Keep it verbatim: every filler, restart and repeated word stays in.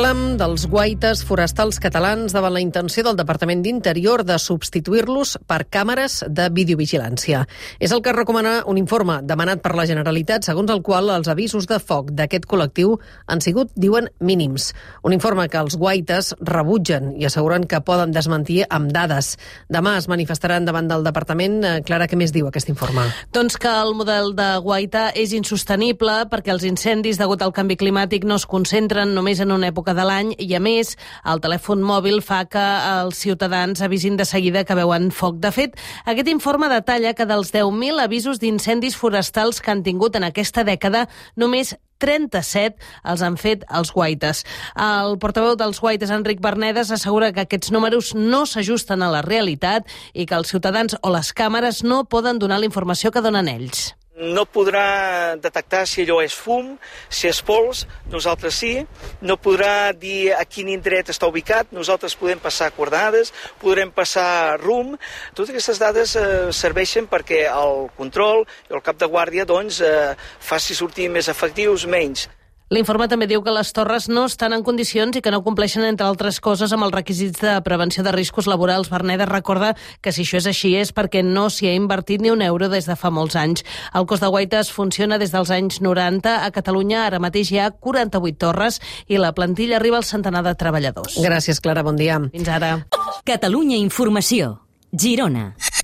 Reclam dels guaites forestals catalans davant la intenció del Departament d'Interior de substituir-los per càmeres de videovigilància. És el que recomana un informe demanat per la Generalitat, segons el qual els avisos de foc d'aquest col·lectiu han sigut, diuen, mínims. Un informe que els guaites rebutgen i asseguren que poden desmentir amb dades. Demà es manifestaran davant del Departament. Clara, què més diu aquest informe? Doncs que el model de guaita és insostenible perquè els incendis degut al canvi climàtic no es concentren només en una època de l'any i, a més, el telèfon mòbil fa que els ciutadans avisin de seguida que veuen foc. De fet, aquest informe detalla que dels deu mil avisos d'incendis forestals que han tingut en aquesta dècada, només trenta-set els han fet els guaites. El portaveu dels guaites, Enric Bernedes, assegura que aquests números no s'ajusten a la realitat i que els ciutadans o les càmeres no poden donar la informació que donen ells. No podrà detectar si allò és fum, si és pols, nosaltres sí. No podrà dir a quin indret està ubicat, nosaltres podem passar coordinades, podrem passar rum. Totes aquestes dades eh, serveixen perquè el control i el cap de guàrdia doncs, eh, faci sortir més efectius, menys. L'informe també diu que les torres no estan en condicions i que no compleixen, entre altres coses, amb els requisits de prevenció de riscos laborals. Bernedes recorda que si això és així és perquè no s'hi ha invertit ni un euro des de fa molts anys. El cos de guaites funciona des dels anys noranta. A Catalunya ara mateix hi ha quaranta-vuit torres i la plantilla arriba al centenar de treballadors. Gràcies, Clara. Bon dia. Fins ara. Catalunya Informació. Girona.